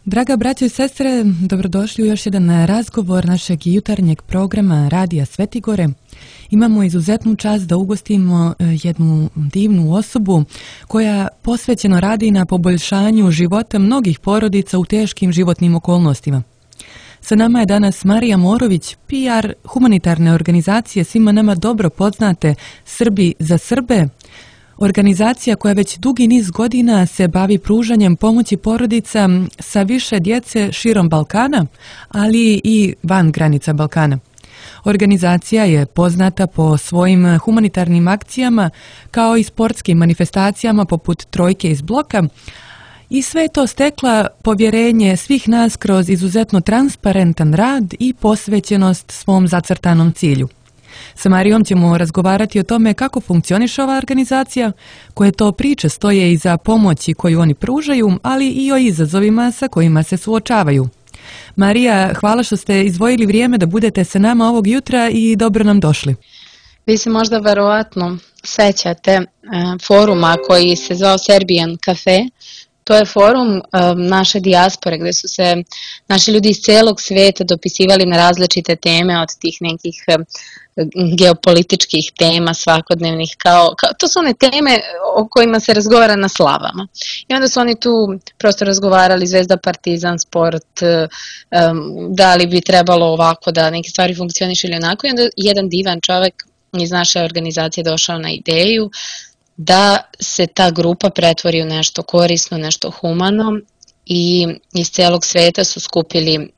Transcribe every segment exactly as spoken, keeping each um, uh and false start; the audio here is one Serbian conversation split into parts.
Draga braćo i sestre, dobrodošli u još jedan razgovor našeg jutarnjeg programa Radija Svetigore. Imamo izuzetnu čast da ugostimo jednu divnu osobu koja posvećeno radi na poboljšanju života mnogih porodica u teškim životnim okolnostima. Sa nama je danas Marija Morović, P R humanitarne organizacije svima nama dobro poznate Srbi za Srbe, organizacija koja već dugi niz godina se bavi pružanjem pomoći porodica sa više djece širom Balkana, ali i van granica Balkana. Organizacija je poznata po svojim humanitarnim akcijama kao i sportskim manifestacijama poput Trojke iz bloka i sve je to stekla povjerenje svih nas kroz izuzetno transparentan rad i posvećenost svom zacrtanom cilju. Sa Marijom ćemo razgovarati o tome kako funkcioniše ova organizacija, koje to priče stoje iza pomoći koju oni pružaju, ali i o izazovima sa kojima se suočavaju. Marija, hvala što ste izdvojili vrijeme da budete sa nama ovog jutra i dobro nam došli. Vi se možda verovatno sećate foruma koji se zvao Serbian Cafe. To je forum um, naše dijaspore gdje su se naši ljudi iz celog svijeta dopisivali na različite teme, od tih nekih um, geopolitičkih tema svakodnevnih, kao, kao, to su one teme o kojima se razgovara na slavama. I onda su oni tu prosto razgovarali Zvezda, Partizan, sport, um, da li bi trebalo ovako da neke stvari funkcionišu ili onako. I onda jedan divan čovjek iz naše organizacije došao na ideju da se ta grupa pretvori u nešto korisno, nešto humano, i iz celog sveta su skupili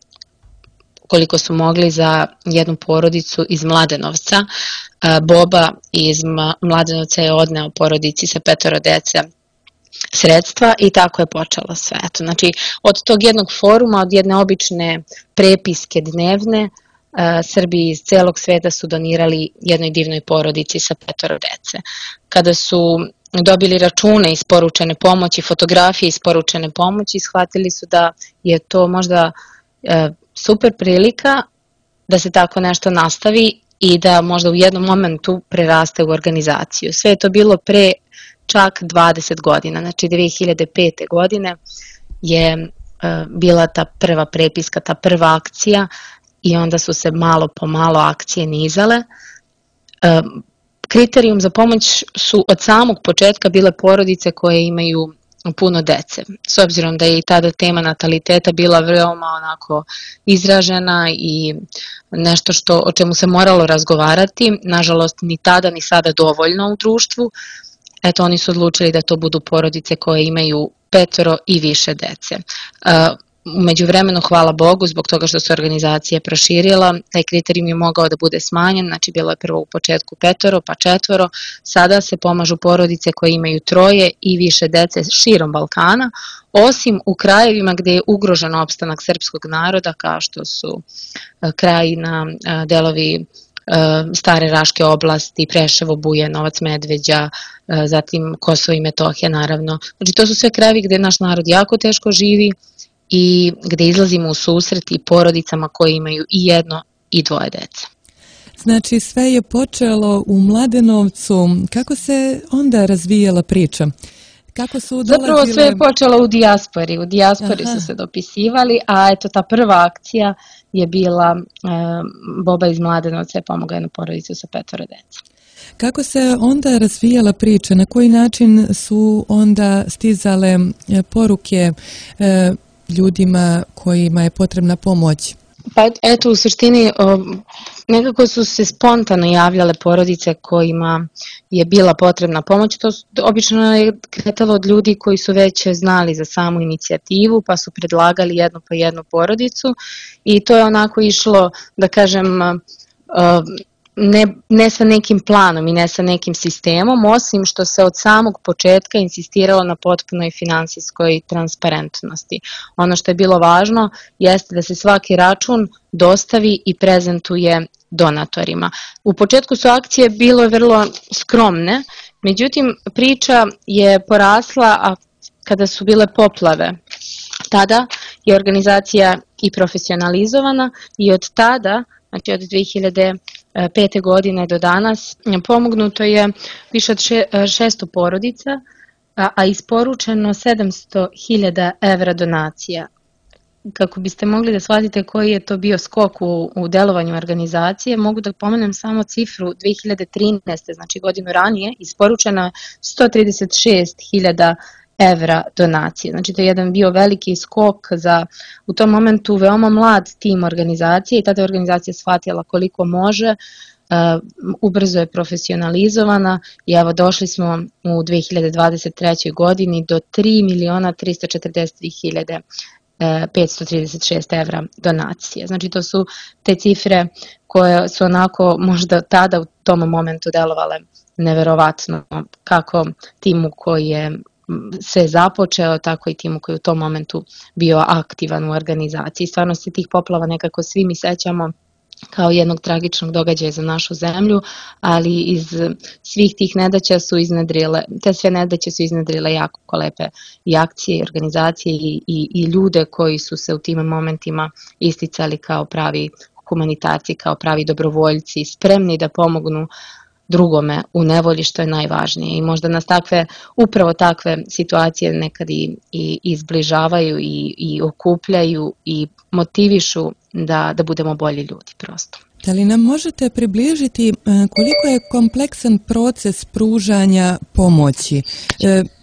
koliko su mogli za jednu porodicu iz Mladenovca. Boba iz Mladenovca je odneo porodici sa petoro dece sredstva i tako je počelo sve. Eto, znači, od tog jednog foruma, od jedne obične prepiske dnevne, Srbi iz celog sveta su donirali jednoj divnoj porodici sa petoro dece. Kada su dobili račune isporučene pomoći, fotografije isporučene pomoći, shvatili su da je to možda e, super prilika da se tako nešto nastavi i da možda u jednom momentu preraste u organizaciju. Sve je to bilo pre čak dvadeset godina, znači dve hiljade pete. godine je e, bila ta prva prepiska, ta prva akcija. I onda su se malo po malo akcije nizale. E, kriterijum za pomoć su od samog početka bile porodice koje imaju puno dece. S obzirom da je i tada tema nataliteta bila veoma onako izražena i nešto što, o čemu se moralo razgovarati, nažalost ni tada ni sada dovoljno u društvu, eto oni su odlučili da to budu porodice koje imaju petoro i više dece. E, U međuvremenu, hvala Bogu, zbog toga što se organizacija proširila, taj kriterijum je mogao da bude smanjen, znači bilo je prvo u početku petoro, pa četvoro, sada se pomažu porodice koje imaju troje i više dece širom Balkana, osim u krajevima gdje je ugrožen opstanak srpskog naroda, kao što su Krajina, delovi Stare Raške oblasti, Preševo, Bujanovac, Medveđa, zatim Kosovo i Metohija naravno. Znači to su sve krajevi gdje naš narod jako teško živi i gdje izlazimo u susret i porodicama koje imaju i jedno i dvoje dece. Znači sve je počelo u Mladenovcu. Kako se onda razvijala priča? Kako su dolazile... Zapravo sve je počelo u dijaspori. U dijaspori Aha. su se dopisivali, a eto ta prva akcija je bila e, Boba iz Mladenovca je pomogao jednu porodicu sa petoro dece. Kako se onda razvijala priča? Na koji način su onda stizale poruke e, ljudima kojima je potrebna pomoć? Pa eto, u suštini nekako su se spontano javljale porodice kojima je bila potrebna pomoć. To obično je kretalo od ljudi koji su već znali za samu inicijativu, pa su predlagali jednu po jednu porodicu i to je onako išlo, da kažem, Ne, ne sa nekim planom i ne sa nekim sistemom, osim što se od samog početka insistiralo na potpunoj finansijskoj transparentnosti. Ono što je bilo važno jeste da se svaki račun dostavi i prezentuje donatorima. U početku su akcije bilo vrlo skromne, međutim priča je porasla a kada su bile poplave. Tada je organizacija i profesionalizovana i od tada, znači od dve hiljade pete. godine do danas, pomognuto je više od šesto porodica, a isporučeno sedamsto hiljada evra donacija. kako biste mogli da shvatite koji je to bio skok u, u delovanju organizacije, mogu da pomenem samo cifru dve hiljade trinaeste. znači godinu ranije, isporučena sto trideset šest hiljada evra donacije. Znači to je jedan bio veliki skok za u tom momentu veoma mlad tim organizacije i tada je organizacija shvatila koliko može, Uh, ubrzo je profesionalizovana i evo došli smo u dve hiljade dvadeset trećoj. godini do tri miliona trista četrdeset tri hiljade petsto trideset šest evra donacije. Znači to su te cifre koje su onako možda tada u tom momentu delovale neverovatno, kako timu koji je se započeo, tako i timu koji je u tom momentu bio aktivan u organizaciji. Stvarno se tih poplava nekako svi mi sećamo kao jednog tragičnog događaja za našu zemlju, ali iz svih tih nedaća su iznedrile, te sve nedaće su iznedrile jako lepe i akcije, i organizacije i, i, i ljude koji su se u tim momentima isticali kao pravi humanitarci, kao pravi dobrovoljci, spremni da pomognu drugome u nevolji, što je najvažnije. I možda nas takve, upravo takve situacije nekad i, i izbližavaju i, i okupljaju i motivišu da, da budemo bolji ljudi prosto. Da li nam možete približiti koliko je kompleksan proces pružanja pomoći?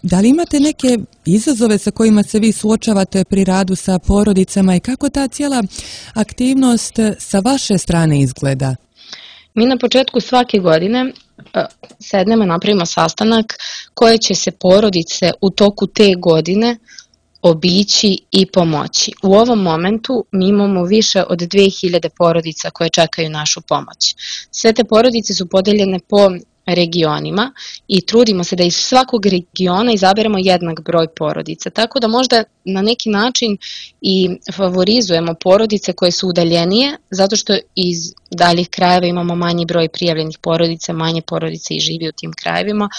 Da li imate neke izazove sa kojima se vi suočavate pri radu sa porodicama i kako ta cijela aktivnost sa vaše strane izgleda? Mi na početku svake godine sednemo, napravimo sastanak koje će se porodice u toku te godine obići i pomoći. U ovom momentu mi imamo više od dve hiljade porodica koje čekaju našu pomoć. Sve te porodice su podeljene po regionima i trudimo se da iz svakog regiona izaberemo jednak broj porodica, tako da možda na neki način i favorizujemo porodice koje su udaljenije, zato što iz daljih krajeva imamo manji broj prijavljenih porodica, manje porodice i živi u tim krajevima,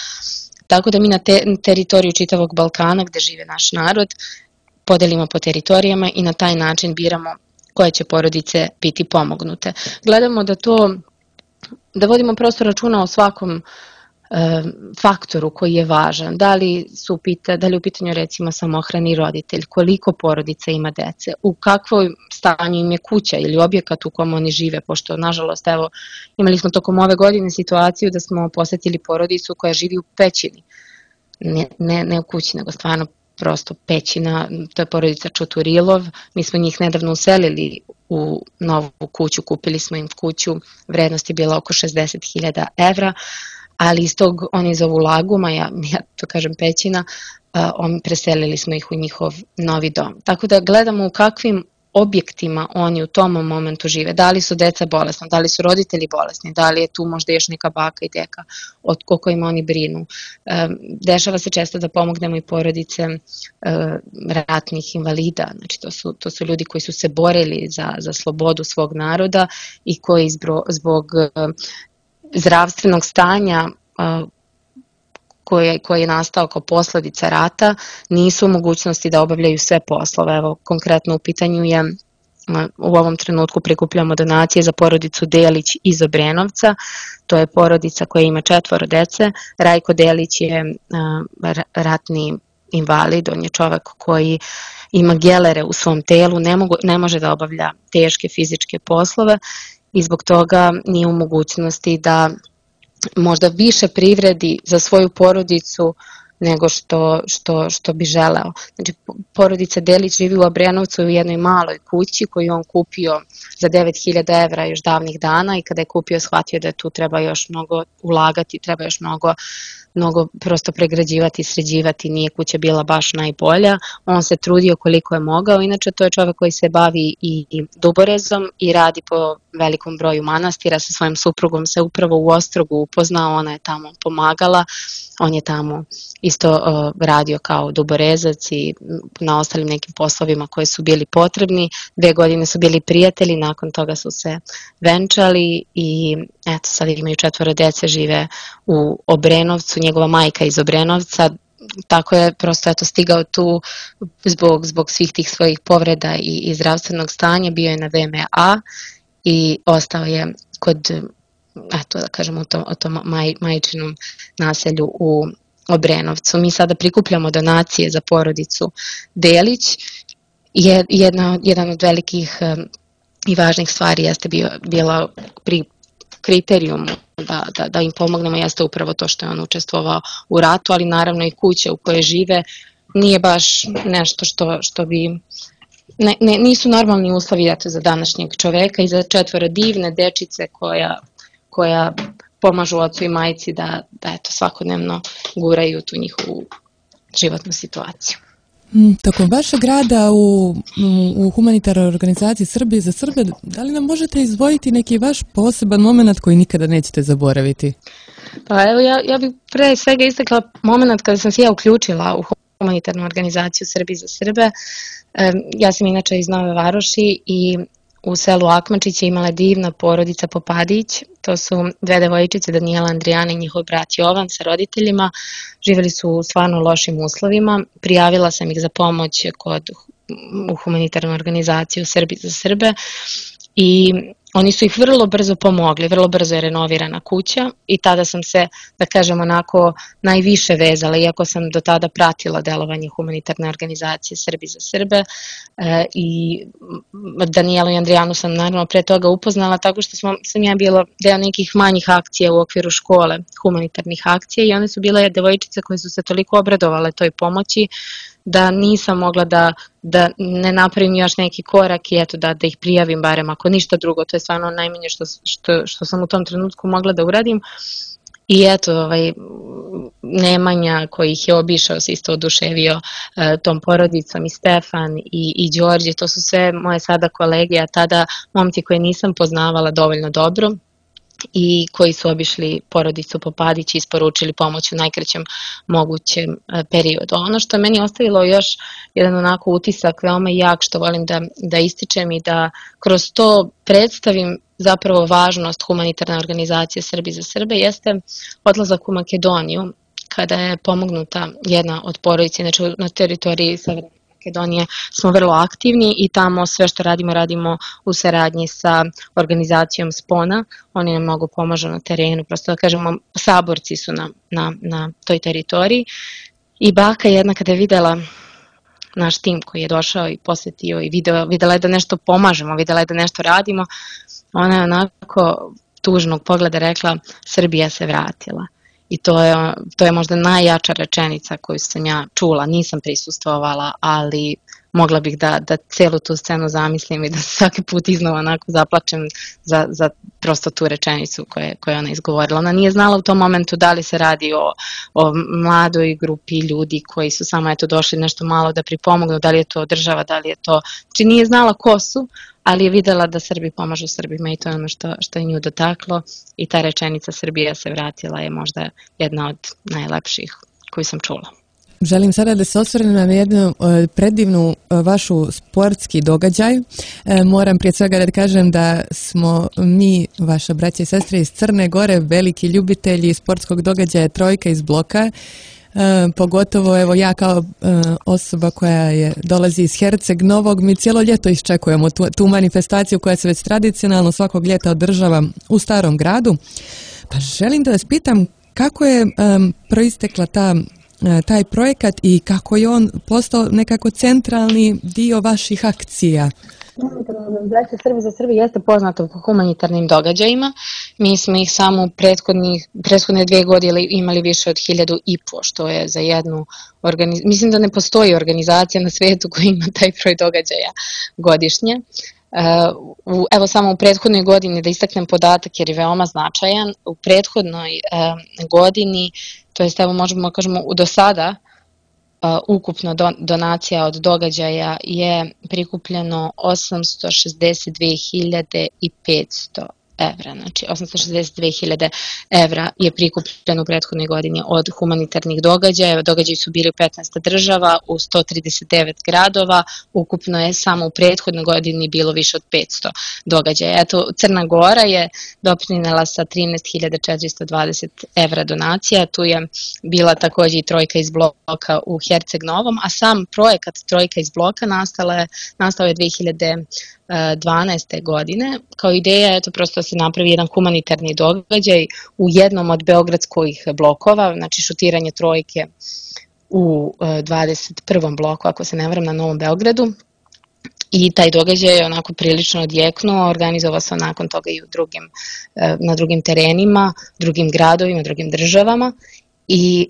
tako da mi na te, teritoriju čitavog Balkana gde žive naš narod podelimo po teritorijama i na taj način biramo koje će porodice biti pomognute. Gledamo da to da vodimo prosto računa o svakom e, faktoru koji je važan, da li, su pita, da li u pitanju recimo samohrani roditelj, koliko porodica ima dece, u kakvom stanju im je kuća ili objekat u kom oni žive, pošto nažalost evo imali smo tokom ove godine situaciju da smo posetili porodicu koja živi u pećini, ne, ne, ne u kući nego stvarno prosto pećina, to je porodica Čuturilov, mi smo njih nedavno uselili u novu kuću, kupili smo im kuću, vrednost je bila oko šezdeset hiljada evra, ali iz tog, oni zovu laguma, ja, ja to kažem pećina, on, preselili smo ih u njihov novi dom. Tako da gledamo u kakvim objektima oni u tom momentu žive, da li su deca bolesna, da li su roditelji bolesni, da li je tu možda još neka baka i deka od kojima oni brinu. Dešava se često da pomognemo i porodice ratnih invalida, znači to su, to su ljudi koji su se borili za, za slobodu svog naroda i koji zbog, zbog zdravstvenog stanja koji, koji je nastao kao posledica rata, nisu u mogućnosti da obavljaju sve poslove. Evo, konkretno u pitanju je, u ovom trenutku prikupljamo donacije za porodicu Delić iz Obrenovca, to je porodica koja ima četvoro dece. Rajko Delić je ratni invalid, on je čovek koji ima gelere u svom telu, ne, mogu, ne može da obavlja teške fizičke poslove i zbog toga nije u mogućnosti da možda više privredi za svoju porodicu nego što, što, što bi želeo. Znači, porodica Delić živi u Obrenovcu u jednoj maloj kući koju on kupio za devet hiljada evra još davnih dana i kada je kupio shvatio da tu treba još mnogo ulagati, treba još mnogo mnogo prosto pregrađivati, sređivati, nije kuća bila baš najbolja, on se trudio koliko je mogao, inače to je čovek koji se bavi i duborezom i radi po velikom broju manastira, sa svojim suprugom se upravo u Ostrogu upoznao, ona je tamo pomagala, on je tamo isto uh, radio kao duborezac i na ostalim nekim poslovima koji su bili potrebni, dve godine su bili prijatelji, nakon toga su se venčali i eto sad imaju četvoro dece, žive u Obrenovcu, njegova majka iz Obrenovca, tako je prosto eto stigao tu zbog, zbog svih tih svojih povreda i, i zdravstvenog stanja, bio je na V M A i ostao je kod, eto da kažemo, u tom, u tom maj, majčinom naselju u Obrenovcu. Mi sada prikupljamo donacije za porodicu Delić je jedna, jedan od velikih i važnih stvari jeste bio, bila pri kriterijumu da, da, da im pomognemo jeste upravo to što je on učestvovao u ratu, ali naravno i kuće u koje žive nije baš nešto što, što bi, ne, ne, nisu normalni uslovi eto, za današnjeg čoveka i za četvoro divne dečice koja, koja pomažu ocu i majci da, da eto, svakodnevno guraju tu njihovu životnu situaciju. Tokom vašeg rada u, u humanitarnoj organizaciji Srbije za Srbe, da li nam možete izdvojiti neki vaš poseban moment koji nikada nećete zaboraviti? Pa evo, ja, ja bih pre svega istakla moment kada sam se ja uključila u humanitarnu organizaciju Srbije za Srbe. Ja sam inače iz Nove Varoši i u selu Akmačić je imala divna porodica Popadić. To su dve devojčice, Danijela, Andrijana i njihov brat Jovan sa roditeljima. Živjeli su u stvarno lošim uslovima. Prijavila sam ih za pomoć kod, u humanitarnu organizaciju Srbije za Srbe i oni su ih vrlo brzo pomogli, vrlo brzo je renovirana kuća i tada sam se, da kažem, onako najviše vezala, iako sam do tada pratila delovanje humanitarne organizacije Srbi za Srbe e, i Danijelu i Andrijanu sam naravno pre toga upoznala tako što smo, sam ja bila deo nekih manjih akcija u okviru škole, humanitarnih akcija i one su bile devojčice koje su se toliko obradovale toj pomoći da nisam mogla da, da ne napravim još neki korak i eto da, da ih prijavim barem ako ništa drugo, to je stvarno najmanje što, što, što sam u tom trenutku mogla da uradim. I eto, ovaj, Nemanja koji ih je obišao se isto oduševio e, tom porodicom i Stefan i, i Đorđe, to su sve moje sada kolege, a tada momci koje nisam poznavala dovoljno dobro i koji su obišli porodicu Popadić i isporučili pomoć u najkraćem mogućem periodu. Ono što je meni ostavilo još jedan onako utisak veoma jak što volim da, da ističem i da kroz to predstavim zapravo važnost humanitarne organizacije Srbije za Srbe jeste odlazak u Makedoniju kada je pomognuta jedna od porodice, znači na teritoriji Severne Makedonije smo vrlo aktivni i tamo sve što radimo, radimo u saradnji sa organizacijom Spona. Oni nam mnogo pomažu na terenu, prosto da kažemo, saborci su na, na, na toj teritoriji. I baka jedna kada je videla naš tim koji je došao i posetio i video, videla je da nešto pomažemo, videla je da nešto radimo, ona je onako tužnog pogleda rekla Srbija se vratila. I to je, to je možda najjača rečenica koju sam ja čula, nisam prisustvovala, ali mogla bih da, da celu tu scenu zamislim i da svaki put iznova onako zaplačem za, za prosto tu rečenicu koju, koju ona izgovorila. Ona nije znala u tom momentu da li se radi o, o mladoj grupi ljudi koji su samo eto došli nešto malo da pripomognu, da li je to država, da li je to... Znači nije znala ko su, ali je videla da Srbi pomažu Srbima i to je ono što, što je nju dotaklo i ta rečenica Srbija se vratila je možda jedna od najlepših koju sam čula. Želim sada da se osvrnem na jednu predivnu vašu sportski događaj. Moram prije svega da kažem da smo mi, vaša braća i sestre iz Crne Gore, veliki ljubitelji sportskog događaja Trojka iz bloka. E, pogotovo evo ja kao e, osoba koja je dolazi iz Herceg Novog, mi cijelo ljeto iščekujemo tu, tu manifestaciju koja se već tradicionalno svakog ljeta održava u Starom gradu. Pa želim da vas pitam kako je e, proistekla ta taj projekat i kako je on postao nekako centralni dio vaših akcija? Humanitarna organizacija Srbije za Srbe jeste poznata po humanitarnim događajima. Mi smo ih samo u prethodne dve godine imali više od hiljadu i po, što je za jednu organizaciju. Mislim da ne postoji organizacija na svijetu koja ima taj broj događaja godišnje. Uh, evo samo u prethodnoj godini da istaknem podatak jer je veoma značajan. U prethodnoj uh, godini, to jest evo možemo kažemo do sada, uh, ukupno do, donacija od događaja je prikupljeno osamsto šezdeset dve hiljade petsto evra. Znači osamsto šezdeset dve hiljade evra je prikupljeno u prethodnoj godini od humanitarnih događaja. Događaji su bili u petnaest država, u sto trideset devet gradova. Ukupno je samo u prethodnoj godini bilo više od petsto događaja. Eto, Crna Gora je doprinela sa trinaest hiljada četiristo dvadeset evra donacija. Tu je bila takođe i Trojka iz bloka u Herceg Novom, a sam projekat Trojka iz bloka nastala je, nastao je dve hiljade dvanaeste godine. Kao ideja je to prosto da se napravi jedan humanitarni događaj u jednom od beogradskih blokova, znači šutiranje trojke u dvadeset prvom bloku, ako se ne varam, na Novom Beogradu. i taj događaj je onako prilično odjeknuo, organizovao se nakon toga i u drugim, na drugim terenima, drugim gradovima, drugim državama i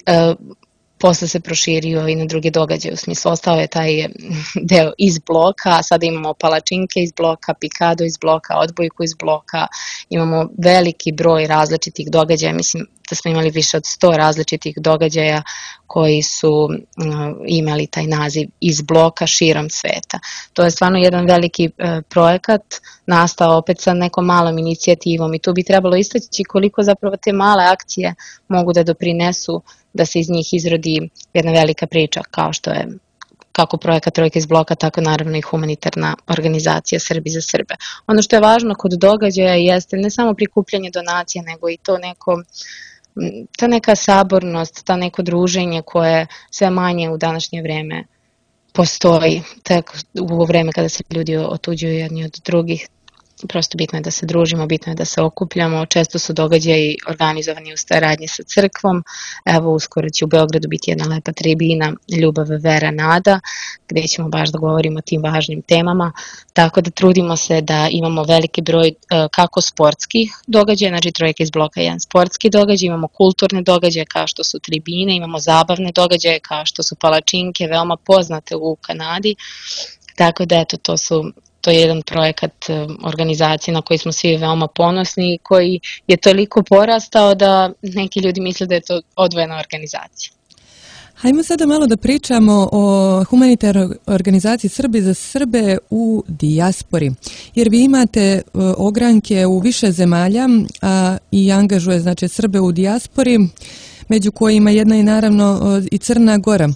posle se proširio i na druge događaje, u smislu ostao je taj deo iz bloka, a sada imamo palačinke iz bloka, pikado iz bloka, odbojku iz bloka, imamo veliki broj različitih događaja, mislim da smo imali više od sto različitih događaja koji su imali taj naziv iz bloka širom sveta. To je stvarno jedan veliki projekat, nastao opet sa nekom malom inicijativom i tu bi trebalo istaći koliko zapravo te male akcije mogu da doprinesu da se iz njih izrodi jedna velika priča, kao što je kako projekat Trojka iz bloka, tako naravno i humanitarna organizacija Srbi za Srbe. Ono što je važno kod događaja jeste ne samo prikupljanje donacija, nego i to neko, ta neka sabornost, ta neko druženje koje sve manje u današnje vreme postoji, tako u vreme kada se ljudi otuđuju jedni od drugih. Prosto bitno je da se družimo, bitno je da se okupljamo, često su događaji organizovani u saradnji sa crkvom, evo uskoro će u Beogradu biti jedna lepa tribina Ljubav, vera, nada, gde ćemo baš da govorimo o tim važnim temama, tako da trudimo se da imamo veliki broj kako sportskih događaja, znači Trojka iz bloka je jedan sportski događaj, imamo kulturne događaje kao što su tribine, imamo zabavne događaje kao što su palačinke, veoma poznate u Kanadi, tako da eto to su To je jedan projekat organizacije na koji smo svi veoma ponosni i koji je toliko porastao da neki ljudi misle da je to odvojena organizacija. Hajmo sada malo da pričamo o humanitarnoj organizaciji Srbi za Srbe u dijaspori, jer vi imate ogranke u više zemalja a, i angažuje znači Srbe u dijaspori, među kojima jedna je naravno i Crna Gora.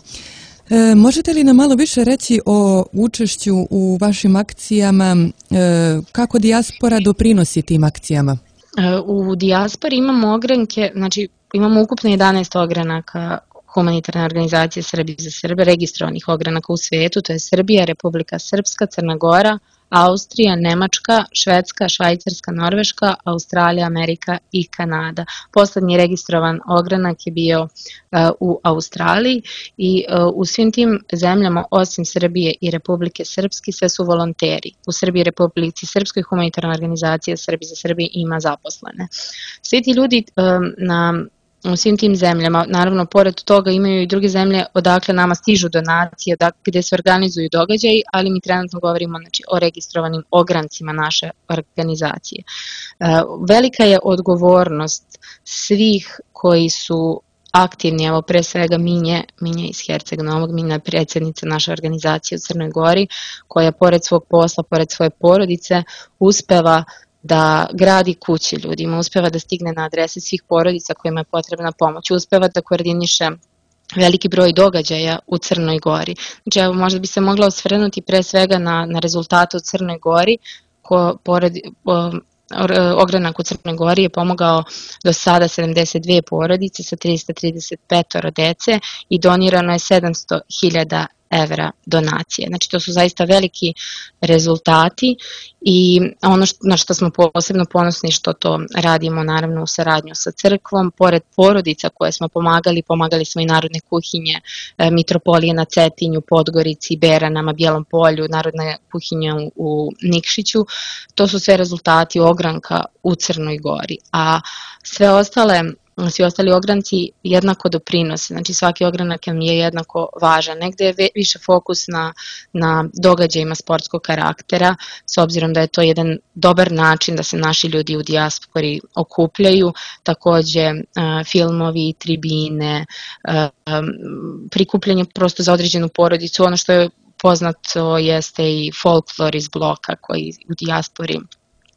E, možete li nam malo više reći o učešću u vašim akcijama, e, kako dijaspora doprinosi tim akcijama? U dijaspori imamo ogranke, znači imamo ukupno jedanaest ogranaka humanitarne organizacije Srbi za Srbe, registrovanih ogranaka u svetu, to je Srbija, Republika Srpska, Crna Gora, Austrija, Nemačka, Švedska, Švajcarska, Norveška, Australija, Amerika i Kanada. Poslednji registrovan ogranak je bio uh, u Australiji i uh, u svim tim zemljama osim Srbije i Republike Srpske sve su volonteri. U Srbiji i Republici Srpskoj humanitarna organizacija Srbi za Srbije ima zaposlene. Svi ti ljudi um, na u svim tim zemljama, naravno pored toga imaju i druge zemlje odakle nama stižu donacije, gde se organizuju događaji, ali mi trenutno govorimo znači, o registrovanim ograncima naše organizacije. Velika je odgovornost svih koji su aktivni, evo pre svega Minje, Minje iz Herceg Novog, Minja je predsjednica naše organizacije u Crnoj Gori, koja pored svog posla, pored svoje porodice, uspeva da gradi kuće ljudima, uspeva da stigne na adrese svih porodica kojima je potrebna pomoć, uspeva da koordiniše veliki broj događaja u Crnoj Gori. Znači, evo, možda bi se mogla osvrnuti pre svega na, na rezultate u Crnoj Gori, ko, pored, o, ogranak u Crnoj Gori je pomogao do sada sedamdeset dve porodice sa trista trideset pet dece i donirano je sedamsto hiljada evra donacije. Znači to su zaista veliki rezultati i ono što, na što smo posebno ponosni što to radimo naravno u saradnju sa crkvom, pored porodica koje smo pomagali, pomagali smo i narodne kuhinje, e, Mitropolije na Cetinju, Podgorici, Beranama, Bijelom Polju, narodna kuhinja u, u Nikšiću, to su sve rezultati ogranka u Crnoj Gori, a sve ostale svi ostali ogranci jednako doprinose, znači svaki ogranak je jednako važan. Negde je više fokus na, na događajima sportskog karaktera, s obzirom da je to jedan dobar način da se naši ljudi u dijaspori okupljaju, takođe uh, filmovi, tribine, uh, prikupljanje prosto za određenu porodicu, ono što je poznato jeste i folklor iz bloka koji u dijaspori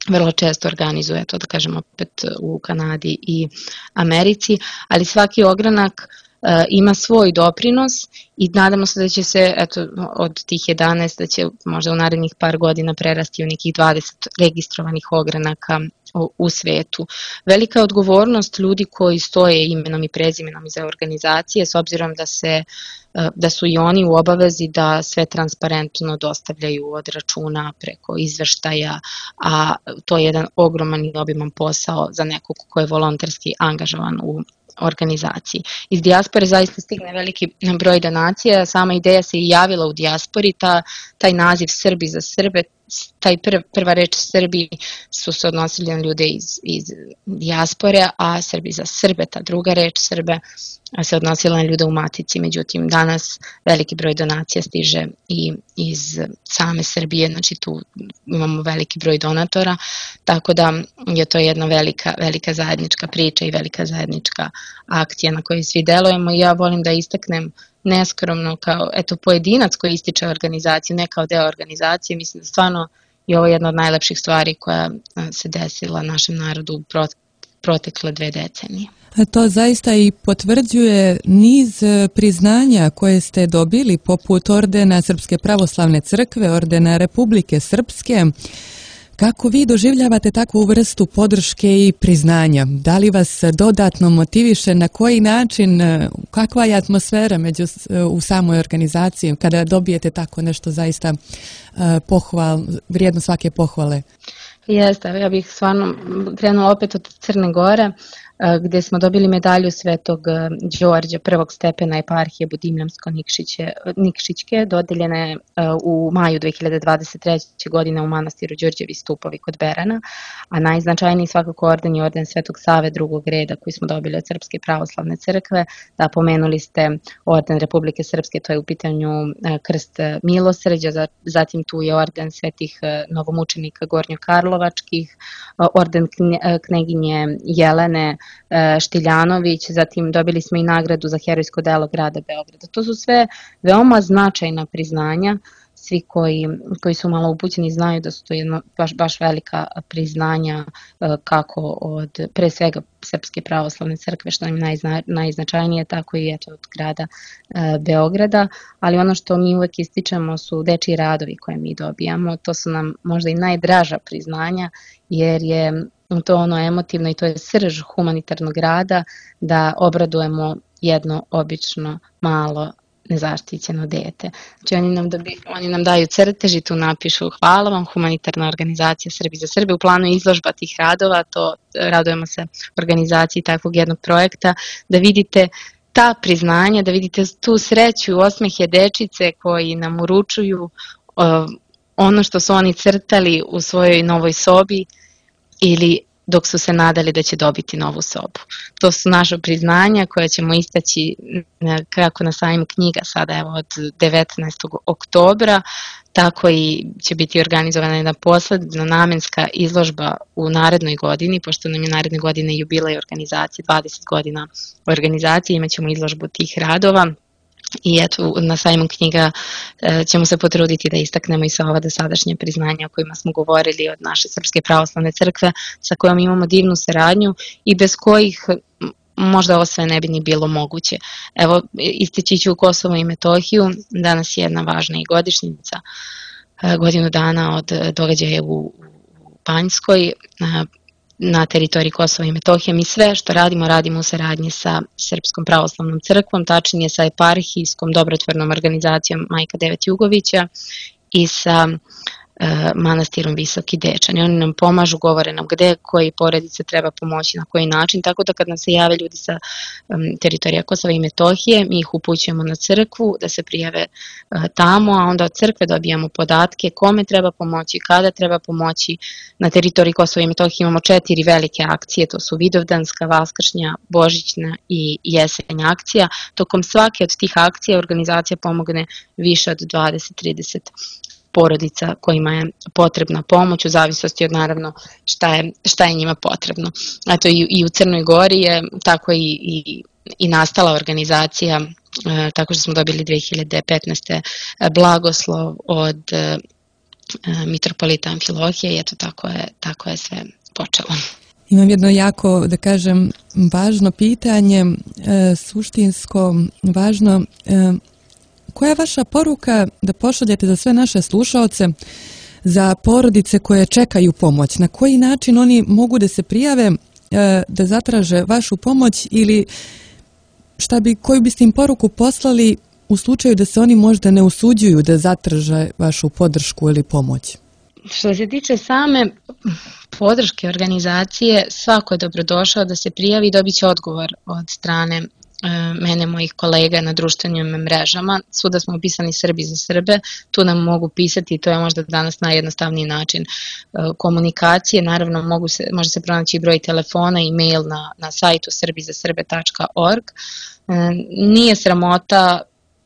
vrlo često organizuje, to da kažem opet u Kanadi i Americi, ali svaki ogranak e, ima svoj doprinos i nadamo se da će se eto, od tih jedanaest da će možda u narednih par godina prerasti u nekih dvadeset registrovanih ogranaka u, u svetu. Velika odgovornost ljudi koji stoje imenom i prezimenom iza organizacije, s obzirom da se da su i oni u obavezi da sve transparentno dostavljaju od računa preko izveštaja, a to je jedan ogroman i obiman posao za nekog ko je volonterski angažovan u organizaciji. Iz dijaspore zaista stigne veliki broj donacija, sama ideja se i javila u dijaspori, ta, taj naziv Srbi za Srbe, taj prv, prva reč Srbi su se odnosili na ljude iz, iz dijaspore, a Srbi za Srbe, ta druga reč Srbe, se odnosila na ljude u matici. Međutim, danas veliki broj donacija stiže i iz same Srbije, znači tu imamo veliki broj donatora, tako da je to jedna velika, velika zajednička priča i velika zajednička akcija na kojoj svi delujemo. I ja volim da istaknem neskromno kao eto, pojedinac koji ističe organizaciju, ne kao deo organizacije. Mislim da stvarno je ovo jedna od najlepših stvari koja se desila našem narodu u protekle dve decenije. To zaista i potvrđuje niz priznanja koje ste dobili, poput ordena Srpske pravoslavne crkve, ordena Republike Srpske. Kako vi doživljavate takvu vrstu podrške i priznanja? Da li vas dodatno motiviše, na koji način, kakva je atmosfera među, u samoj organizaciji kada dobijete tako nešto zaista pohval, vrijedno svake pohvale? Jeste, ja bih stvarno krenula opet od Crne Gore, gde smo dobili medalju Svetog Đorđa prvog stepena eparhije Budimljansko-Nikšićke, dodeljena je u maju dve hiljade dvadeset treće. godine u manastiru Đurđevi stupovi kod Berana, a najznačajniji svakako orden je orden Svetog Save drugog reda koji smo dobili od Srpske pravoslavne crkve. Da, pomenuli ste orden Republike Srpske, to je u pitanju krst milosrđa, zatim tu je orden svetih novomučenika Gornjokarlovačkih, orden kneginje Jelene Štiljanović, zatim dobili smo i nagradu za herojsko delo grada Beograda. To su sve veoma značajna priznanja. Svi koji, koji su malo upućeni znaju da su to jedno baš, baš velika priznanja kako od pre svega Srpske pravoslavne crkve, što nam je najzna, najznačajnije, tako i eto od grada e, Beograda, ali ono što mi uvek ističemo su dečiji radovi koje mi dobijamo. To su nam možda i najdraža priznanja, jer je to ono emotivno i to je srž humanitarnog rada da obradujemo jedno obično malo nezaštićeno dete. Znači oni nam, dobi, oni nam daju crtež i tu napišu hvala vam, humanitarna organizacija Srbi za Srbe. U planu je izložba tih radova, to radujemo se organizaciji takvog jednog projekta, da vidite ta priznanja, da vidite tu sreću i osmehe dečice koji nam uručuju uh, ono što su oni crtali u svojoj novoj sobi ili dok su se nadali da će dobiti novu sobu. To su naša priznanja koja ćemo istaći kako na sajmu knjiga sada evo od devetnaestog oktobra, tako i će biti organizovana jedna posledna namenska izložba u narednoj godini, pošto nam je naredne godine jubilej organizacije, dvadeset godina organizacije, imat ćemo izložbu tih radova. I eto, na sajmu knjiga e, ćemo se potruditi da istaknemo i sva ova dosadašnje priznanja o kojima smo govorili od naše Srpske pravoslavne crkve, sa kojom imamo divnu saradnju i bez kojih možda ovo sve ne bi ni bilo moguće. Evo, istići ću Kosovo i Metohiju, danas je jedna važna i godišnjica, e, godinu dana od događaja u, u Banjskoj, e, na teritoriji Kosova i Metohije. Mi sve što radimo, radimo u saradnji sa Srpskom pravoslavnom crkvom, tačnije sa eparhijskom dobrotvornom organizacijom Majka Devet Jugovića i sa e, manastirom Visoki Dečani. Oni nam pomažu, govore nam gde, koji porodice treba pomoći, na koji način, tako da kad nam se jave ljudi sa um, teritorija Kosova i Metohije, mi ih upućujemo na crkvu da se prijave uh, tamo, a onda od crkve dobijamo podatke kome treba pomoći, kada treba pomoći. Na teritoriji Kosova i Metohije imamo četiri velike akcije, to su Vidovdanska, Vaskršnja, Božićna i Jesenja akcija. Tokom svake od tih akcija organizacija pomogne više od dvadeset do trideset porodica kojima je potrebna pomoć u zavisnosti od naravno šta je, šta je njima potrebno. Eto i, i u Crnoj Gori je tako i, i, i nastala organizacija, e, tako što smo dobili dve hiljade petnaeste. blagoslov od e, mitropolita Amfilohije i eto tako je, tako je sve počelo. Imam jedno jako, da kažem, važno pitanje, e, suštinsko, važno. E, Koja je vaša poruka da pošaljete za sve naše slušaoce, za porodice koje čekaju pomoć? Na koji način oni mogu da se prijave, da zatraže vašu pomoć ili šta bi, koju biste im poruku poslali u slučaju da se oni možda ne usuđuju da zatraže vašu podršku ili pomoć? Što se tiče same podrške organizacije, svako je dobrodošao da se prijavi i dobit će odgovor od strane mene, mojih kolega na društvenim mrežama. Svuda smo upisani Srbi za Srbe, tu nam mogu pisati i to je možda danas najjednostavniji način komunikacije. Naravno, mogu se, može se pronaći i broj telefona i mail na, na sajtu srbi za srbe tačka org. Nije sramota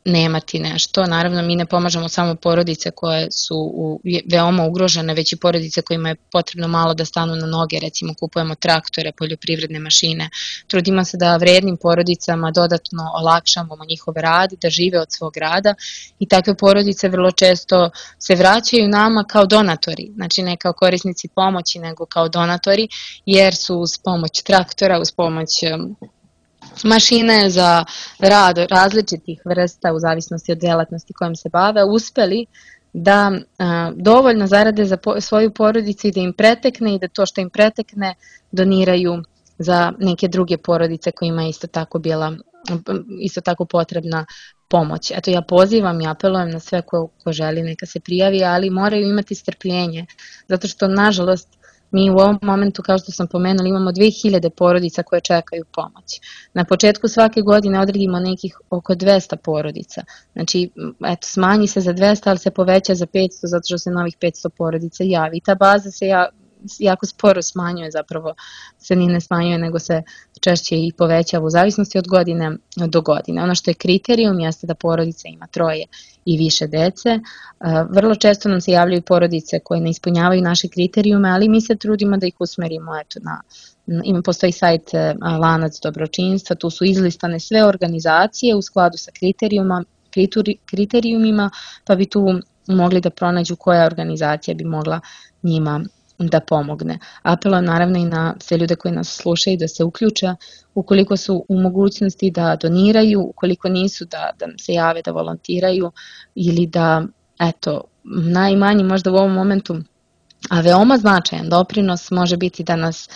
nemati nešto. Naravno, mi ne pomažemo samo porodice koje su u, veoma ugrožene, već i porodice kojima je potrebno malo da stanu na noge, recimo kupujemo traktore, poljoprivredne mašine. Trudimo se da vrednim porodicama dodatno olakšamo njihov rad, da žive od svog rada i takve porodice vrlo često se vraćaju nama kao donatori, znači ne kao korisnici pomoći, nego kao donatori, jer su uz pomoć traktora, uz pomoć mašine za rad različitih vrsta u zavisnosti od delatnosti kojom se bave, uspeli da a, dovoljno zarade za po, svoju porodicu i da im pretekne i da to što im pretekne doniraju za neke druge porodice kojima je isto tako bila isto tako potrebna pomoć. Eto, ja pozivam i apelujem na sve ko, ko želi neka se prijavi, ali moraju imati strpljenje, zato što nažalost mi u ovom momentu, kao što sam pomenula, imamo dve hiljade porodica koje čekaju pomoć. Na početku svake godine odredimo nekih oko dvesta porodica. Znači, eto, smanji se za dvesta, ali se poveća za petsto, zato što se novih petsto porodica javi. I ta baza se ja, jako sporo smanjuje, zapravo se ni ne smanjuje, nego se češće i povećava u zavisnosti od godine do godine. Ono što je kriterijum jeste da porodica ima troje i više dece. Vrlo često nam se javljaju porodice koje ne ispunjavaju naše kriterijume, ali mi se trudimo da ih usmerimo eto, na Ima, postoji sajt Lanac dobročinstva, tu su izlistane sve organizacije u skladu sa kriterijuma, kriterijumima, pa bi tu mogli da pronađu koja organizacija bi mogla njima da pomogne. Apelujem naravno i na sve ljude koji nas slušaju da se uključe ukoliko su u mogućnosti da doniraju, ukoliko nisu da, da se jave da volontiraju ili da, eto, najmanji možda u ovom momentu, a veoma značajan doprinos može biti da nas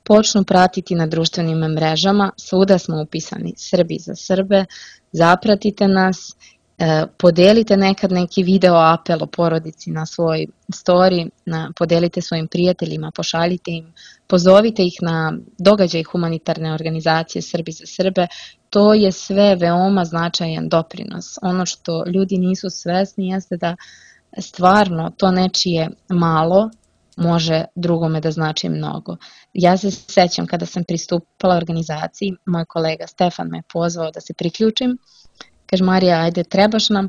počnu pratiti na društvenim mrežama. Svuda smo upisani Srbi za Srbe, zapratite nas, podelite nekad neki video apel o porodici na svoj story, na, podelite svojim prijateljima, pošaljite im, pozovite ih na događaj humanitarne organizacije Srbi za Srbe. To je sve veoma značajan doprinos. Ono što ljudi nisu svesni jeste da stvarno to nečije malo može drugome da znači mnogo. Ja se sećam kada sam pristupala organizaciji, moj kolega Stefan me pozvao da se priključim. Kaže, Marija, ajde, trebaš nam.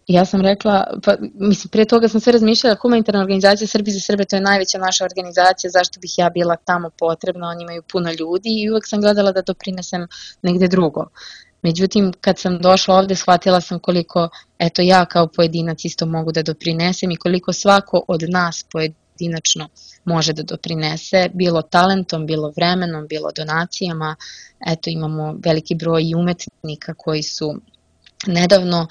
Ja sam rekla, pa mislim, prije toga sam sve razmišljala, humanitarna organizacija Srbi za Srbe, to je najveća naša organizacija, zašto bih ja bila tamo potrebna, oni imaju puno ljudi i uvek sam gledala da doprinesem negde drugo. Međutim, kad sam došla ovde, shvatila sam koliko, eto, ja kao pojedinac isto mogu da doprinesem i koliko svako od nas pojedinačno može da doprinese, bilo talentom, bilo vremenom, bilo donacijama. Eto, imamo veliki broj i umetnika koji su nedavno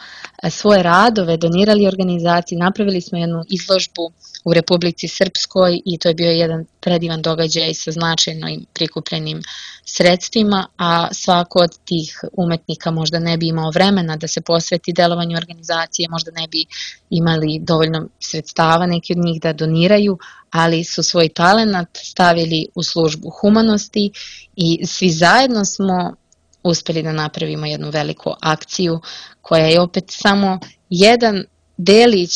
svoje radove donirali organizaciji, napravili smo jednu izložbu u Republici Srpskoj i to je bio jedan predivan događaj sa značajnim prikupljenim sredstvima, a svako od tih umetnika možda ne bi imao vremena da se posveti delovanju organizacije, možda ne bi imali dovoljno sredstava neki od njih da doniraju, ali su svoj talenat stavili u službu humanosti i svi zajedno smo uspeli da napravimo jednu veliku akciju koja je opet samo jedan delić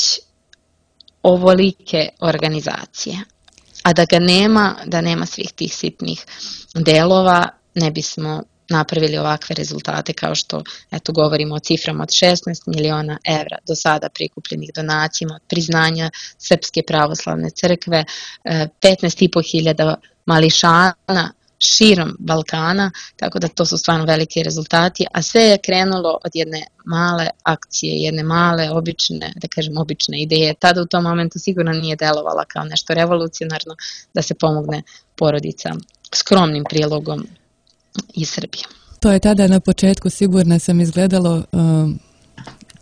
ovolike organizacije. A da ga nema, da nema svih tih sitnih delova, ne bismo napravili ovakve rezultate kao što, eto, govorimo o ciframa od šesnaest miliona evra do sada prikupljenih donacijama, od priznanja Srpske pravoslavne crkve, petnaest i po hiljada mališana širom Balkana, tako da to su stvarno veliki rezultati, a sve je krenulo od jedne male akcije, jedne male, obične, da kažem, obične ideje. Tada u tom momentu sigurno nije delovala kao nešto revolucionarno da se pomogne porodica skromnim prilogom iz Srbije. To je tada na početku, sigurno sam, izgledalo um,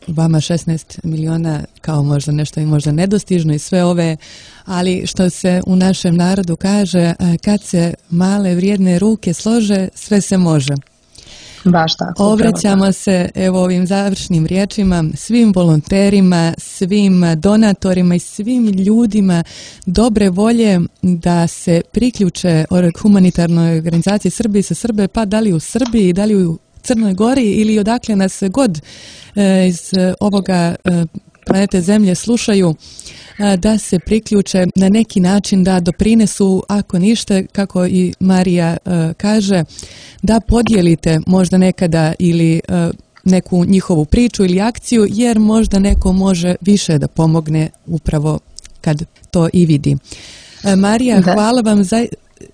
vama šesnaest miliona kao možda nešto i možda nedostižno i sve ove, ali što se u našem narodu kaže, kad se male vrijedne ruke slože, sve se može. Baš tako. Obraćamo se evo ovim završnim riječima svim volonterima, svim donatorima i svim ljudima dobre volje da se priključe humanitarnoj organizaciji Srbi za Srbe, pa da li u Srbiji, da li u Crnoj Gori ili odakle nas god e, iz ovoga e, planete Zemlje slušaju, da se priključe na neki način, da doprinesu, ako ništa, kako i Marija uh, kaže, da podijelite možda nekada ili uh, neku njihovu priču ili akciju, jer možda neko može više da pomogne upravo kad to i vidi. Uh, Marija, da. Hvala vam za...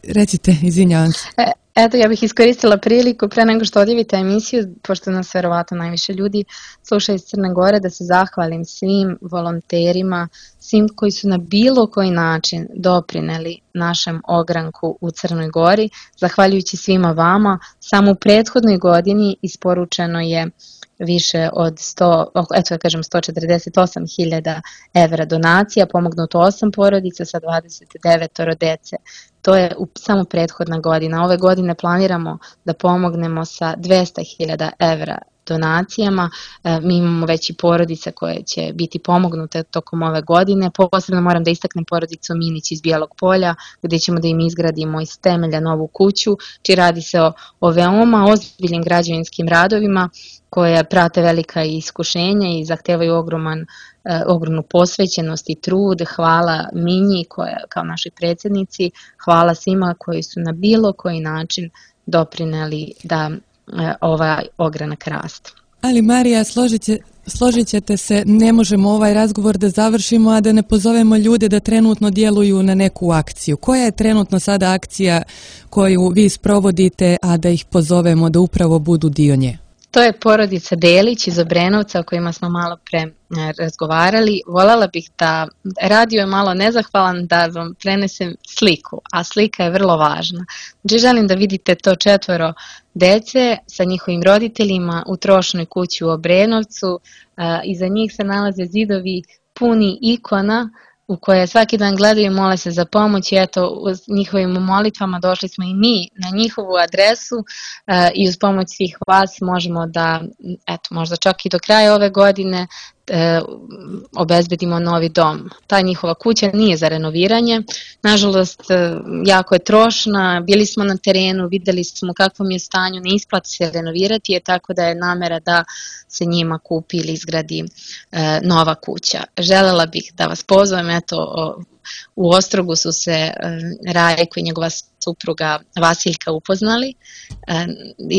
Recite, izvinjavam se. E, eto, ja bih iskoristila priliku pre nego što odjavite emisiju, pošto nas verovatno najviše ljudi sluša iz Crne Gore, da se zahvalim svim volonterima, svim koji su na bilo koji način doprineli našem ogranku u Crnoj Gori. Zahvaljujući svima vama, samo u prethodnoj godini isporučeno je više od sto, eto ja kažem sto četrdeset osam hiljada evra donacija, pomognuto osam porodica sa dvadeset devet dece. To je u, samo prethodna godina. Ove godine planiramo da pomognemo sa dvesta hiljada evra donacijama. E, mi imamo već i porodice koje će biti pomognute tokom ove godine. Posebno moram da istaknem porodicu Minić iz Bijelog Polja, gdje ćemo da im izgradimo iz temelja novu kuću, či radi se o, o veoma ozbiljnim građevinskim radovima koje prate velika iskušenja i zahtevaju ogroman, eh, ogromnu posvećenost i trud. Hvala Minji koja, kao našoj predsjednici, hvala svima koji su na bilo koji način doprineli da eh, ovaj ogranak raste. Ali Marija, složit, će, složit ćete se, ne možemo ovaj razgovor da završimo, a da ne pozovemo ljude da trenutno djeluju na neku akciju. Koja je trenutno sada akcija koju vi sprovodite, a da ih pozovemo da upravo budu dio nje? To je porodica Delić iz Obrenovca o kojima smo malo pre razgovarali. Voljela bih da, radio je malo nezahvalan, da vam prenesem sliku, a slika je vrlo važna. Znači želim da vidite to četvoro dece sa njihovim roditeljima u trošnoj kući u Obrenovcu. Iza njih se nalaze zidovi puni ikona u koje svaki dan gledaju i mole se za pomoć i eto uz njihovim molitvama došli smo i mi na njihovu adresu e, i uz pomoć svih vas možemo da, eto možda čak i do kraja ove godine e, obezbedimo novi dom. Ta njihova kuća nije za renoviranje, nažalost e, jako je trošna, bili smo na terenu, videli smo kakvom je stanju, ne isplati se renovirati je, tako da je namera da se njima kupi ili izgradi e, nova kuća. Želela bih da vas pozovem, eto o, u Ostrogu su se e, Rajko i njegova supruga Vasiljka upoznali, e,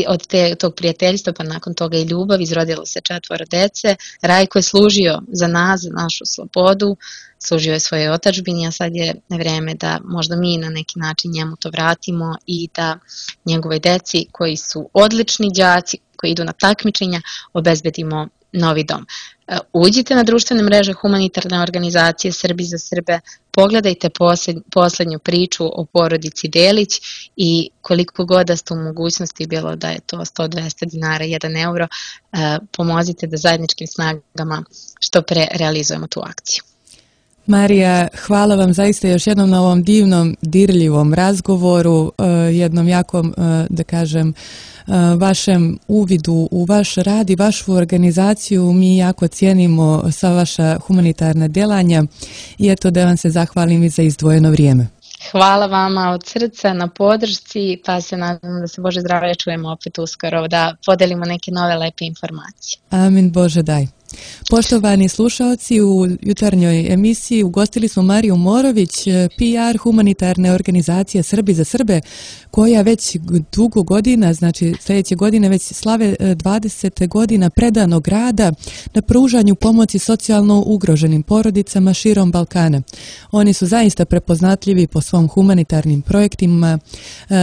od te, tog prijateljstva pa nakon toga i ljubav, izrodilo se četvoro dece. Rajko je služio za nas, za našu slobodu, služio je svojoj otadžbini, a sad je vreme da možda mi na neki način njemu to vratimo i da njegove deci koji su odlični đaci, koji idu na takmičenja, obezbedimo novi dom. Uđite na društvene mreže humanitarne organizacije Srbi za Srbe, pogledajte posled, poslednju priču o porodici Delić i koliko god da ste u mogućnosti, bilo da je to sto do dvesta dinara, jedan euro, pomozite da zajedničkim snagama što pre realizujemo tu akciju. Marija, hvala vam zaista još jednom na ovom divnom, dirljivom razgovoru, jednom jakom, da kažem, vašem uvidu u vaš rad i vašu organizaciju. Mi jako cijenimo sva vaša humanitarna djelanja i eto da vam se zahvalim i za izdvojeno vrijeme. Hvala vama od srca na podršci, pa se nadam da se Bože zdravlje čujemo opet uskoro, da podelimo neke nove lepe informacije. Amin, Bože daj. Poštovani slušalci, u jutarnjoj emisiji ugostili smo Mariju Morović, P R humanitarne organizacije Srbi za Srbe, koja već dugo godina, znači sljedeće godine već slave dvadeset godina predanog rada na pružanju pomoći socijalno ugroženim porodicama širom Balkana. Oni su zaista prepoznatljivi po svom humanitarnim projektima,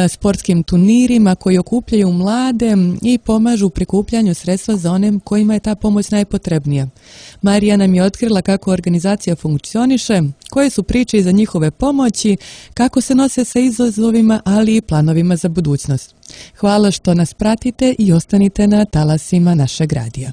sportskim turnirima koji okupljaju mlade i pomažu u prikupljanju sredstva za one kojima je ta pomoć najpotrebnija. Marija nam je otkrila kako organizacija funkcioniše, koje su priče iza njihove pomoći, kako se nose sa izazovima, ali i planovima za budućnost. Hvala što nas pratite i ostanite na talasima našeg radija.